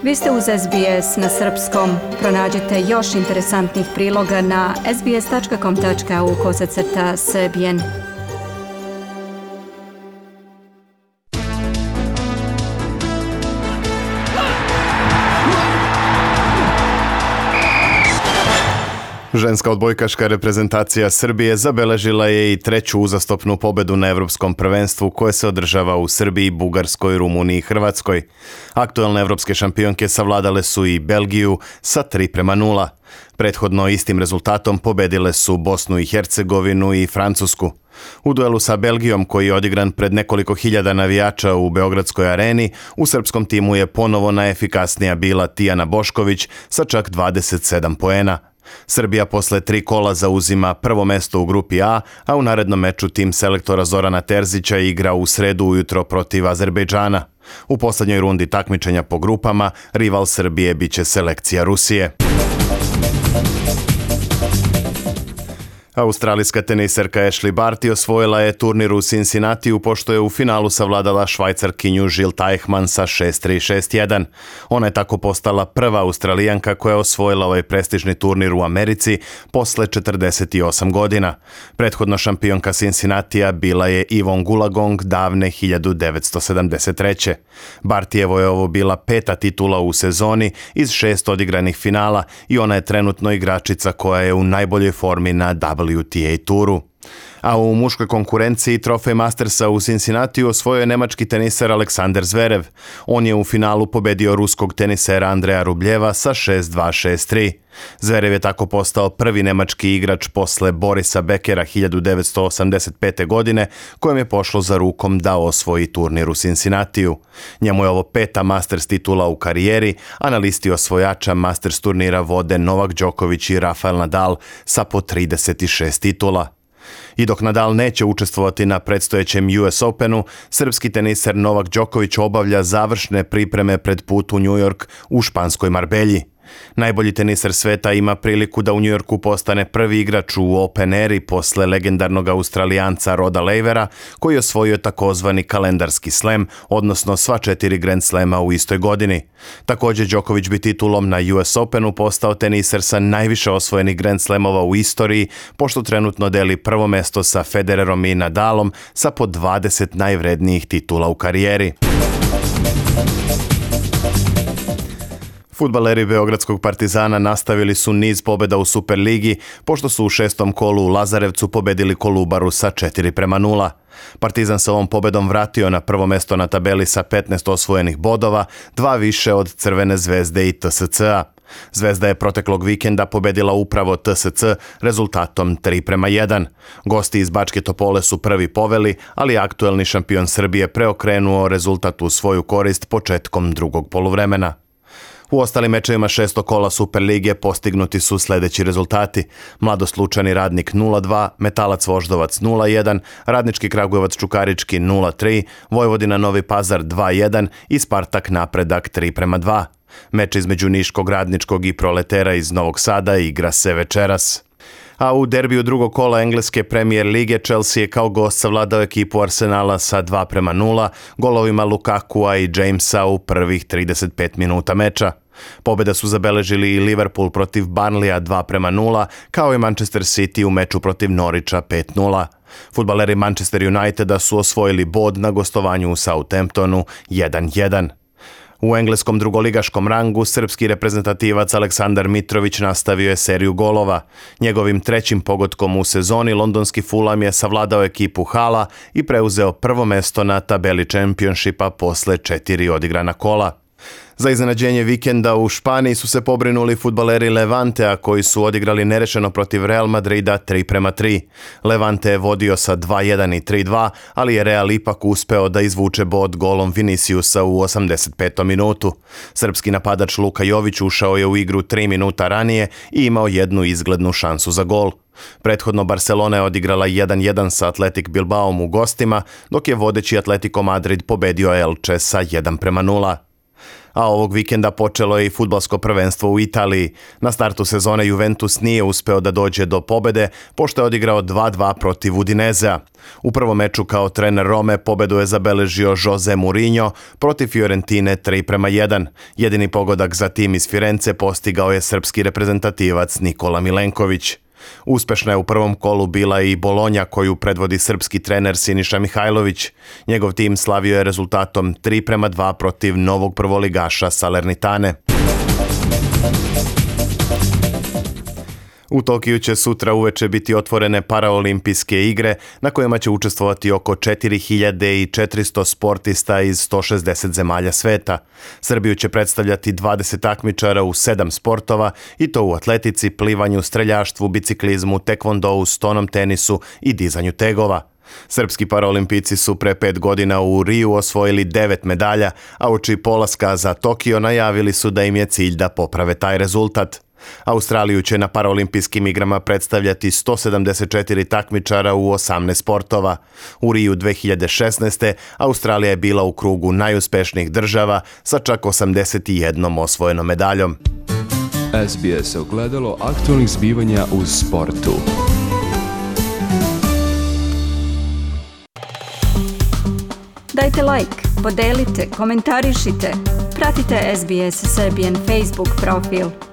Vi ste uz SBS na srpskom. Pronađite još interesantnih priloga na sbs.com.au/srbijen. Ženska odbojkaška reprezentacija Srbije zabeležila je i treću uzastopnu pobedu na Evropskom prvenstvu koje se održava u Srbiji, Bugarskoj, Rumuniji i Hrvatskoj. Aktuelne evropske šampionke savladale su i Belgiju sa 3:0. Prethodno istim rezultatom pobedile su Bosnu i Hercegovinu i Francusku. U duelu sa Belgijom, koji je odigran pred nekoliko hiljada navijača u Beogradskoj areni, u srpskom timu je ponovo najefikasnija bila Tijana Bošković sa čak 27 poena. Srbija posle 3 kola zauzima prvo mesto u grupi A, a u narednom meču tim selektora Zorana Terzića igra u sredu ujutro protiv Azerbejdžana. U poslednjoj rundi takmičenja po grupama, rival Srbije biće selekcija Rusije. Australijska teniserka Ashley Barty osvojila je turnir u Cincinnatiju pošto je u finalu savladala Švajcarkinju Jil Teichmann sa 6-3, 6-1. Ona je tako postala prva Australijanka koja je osvojila ovaj prestižni turnir u Americi posle 48 godina. Prethodna šampionka Cincinnatija bila je Yvonne Goolagong davne 1973. Bartyjevo je ovo bila 5. titula u sezoni iz 6 odigranih finala i ona je trenutno igračica koja je u najboljoj formi na WTA turu. A u muškoj konkurenciji trofej Mastersa u Cincinnatiju osvojio je nemački teniser Aleksander Zverev. On je u finalu pobedio ruskog tenisera Andreja Rubljeva sa 6-2, 6-3. Zverev je tako postao prvi nemački igrač posle Borisa Bekera 1985. godine, kojem je pošlo za rukom da osvoji turnir u Cincinnatiju. Njemu je ovo 5. Masters titula u karijeri, a na listi osvojača Masters turnira vode Novak Đoković i Rafael Nadal sa po 36 titula. I dok Nadal neće učestvovati na predstojećem US Openu, srpski teniser Novak Đoković obavlja završne pripreme pred put u New York u španskoj Marbelji. Najbolji teniser sveta ima priliku da u New Yorku postane prvi igrač u Open Eri posle legendarnog Australijanca Roda Lavera, koji je osvojio takozvani kalendarski slam, odnosno sva 4 Grand Slema u istoj godini. Također Đoković bi titulom na US Openu postao teniser sa najviše osvojenih Grand Slamova u istoriji, pošto trenutno deli prvo mesto sa Federerom i Nadalom sa po 20 najvrednijih titula u karijeri. Fudbaleri Beogradskog Partizana nastavili su niz pobjeda u Superligi, pošto su u 6. kolu u Lazarevcu pobedili Kolubaru sa 4:0. Partizan se ovom pobedom vratio na prvo mesto na tabeli sa 15 osvojenih bodova, 2 više od Crvene zvezde i TSC-a. Zvezda je proteklog vikenda pobedila upravo TSC rezultatom 3:1. Gosti iz Bačke Topole su prvi poveli, ali aktuelni šampion Srbije preokrenuo rezultat u svoju korist početkom drugog poluvremena. U ostalim mečevima 6. kola Superlige postignuti su sljedeći rezultati: Mladost Lučani Radnik 0:2, Metalac Voždovac 0:1, Radnički Kragujevac Čukarički 0:3, Vojvodina Novi Pazar 2:1 i Spartak Napredak 3:2. Meč između Niškog, Radničkog i Proletera iz Novog Sada igra se večeras. A u derbiju drugog kola engleske Premier lige Chelsea je kao gost savladao ekipu Arsenala sa 2:0 golovima Lukakua i Jamesa u prvih 35 minuta meča. Pobjeda su zabeležili i Liverpool protiv Burnleya 2:0, kao i Manchester City u meču protiv Norwicha 5:0. Fudbaleri Manchester Uniteda su osvojili bod na gostovanju u Southamptonu 1:1. U engleskom drugoligaškom rangu srpski reprezentativac Aleksandar Mitrović nastavio je seriju golova. Njegovim 3. pogodkom u sezoni londonski Fulham je savladao ekipu Hala i preuzeo prvo mesto na tabeli Championshipa posle 4 odigrana kola. Za iznenađenje vikenda u Španiji su se pobrinuli fudbaleri Levantea koji su odigrali nerešeno protiv Real Madrida 3:3. Levante je vodio sa 2:1 i 3:2, ali je Real ipak uspeo da izvuče bod golom Viniciusa u 85. minutu. Srpski napadač Luka Jović ušao je u igru 3 minuta ranije i imao jednu izglednu šansu za gol. Prethodno Barcelona je odigrala 1:1 sa Athletic Bilbaom u gostima, dok je vodeći Atletico Madrid pobedio Elche sa 1:0. A ovog vikenda počelo je i fudbalsko prvenstvo u Italiji. Na startu sezone Juventus nije uspeo da dođe do pobede, pošto je odigrao 2-2 protiv Udinezea. U prvom meču kao trener Rome pobedu je zabeležio Jose Mourinho protiv Fiorentine 3:1. Jedini pogodak za tim iz Firence postigao je srpski reprezentativac Nikola Milenković. Uspešna je u prvom kolu bila i Bolonja koju predvodi srpski trener Siniša Mihajlović. Njegov tim slavio je rezultatom 3:2 protiv novog prvoligaša Salernitane. U Tokiju će sutra uveče biti otvorene paraolimpijske igre na kojima će učestvovati oko 4400 sportista iz 160 zemalja sveta. Srbiju će predstavljati 20 takmičara u 7 sportova i to u atletici, plivanju, streljaštvu, biciklizmu, tekvondou, stonom tenisu i dizanju tegova. Srpski paraolimpijci su pre 5 godina u Riju osvojili 9 medalja, a uoči polaska za Tokio najavili su da im je cilj da poprave taj rezultat. Australiju će na paraolimpijskim igrama predstavljati 174 takmičara u 18 sportova. U Riju 2016. Australija je bila u krugu najuspešnijih država sa čak 81 osvojenom medaljom. SBS ogledalo aktualnih zbivanja u sportu. Dajte like, podelite, komentarišite. Pratite SBS Serbian Facebook profil.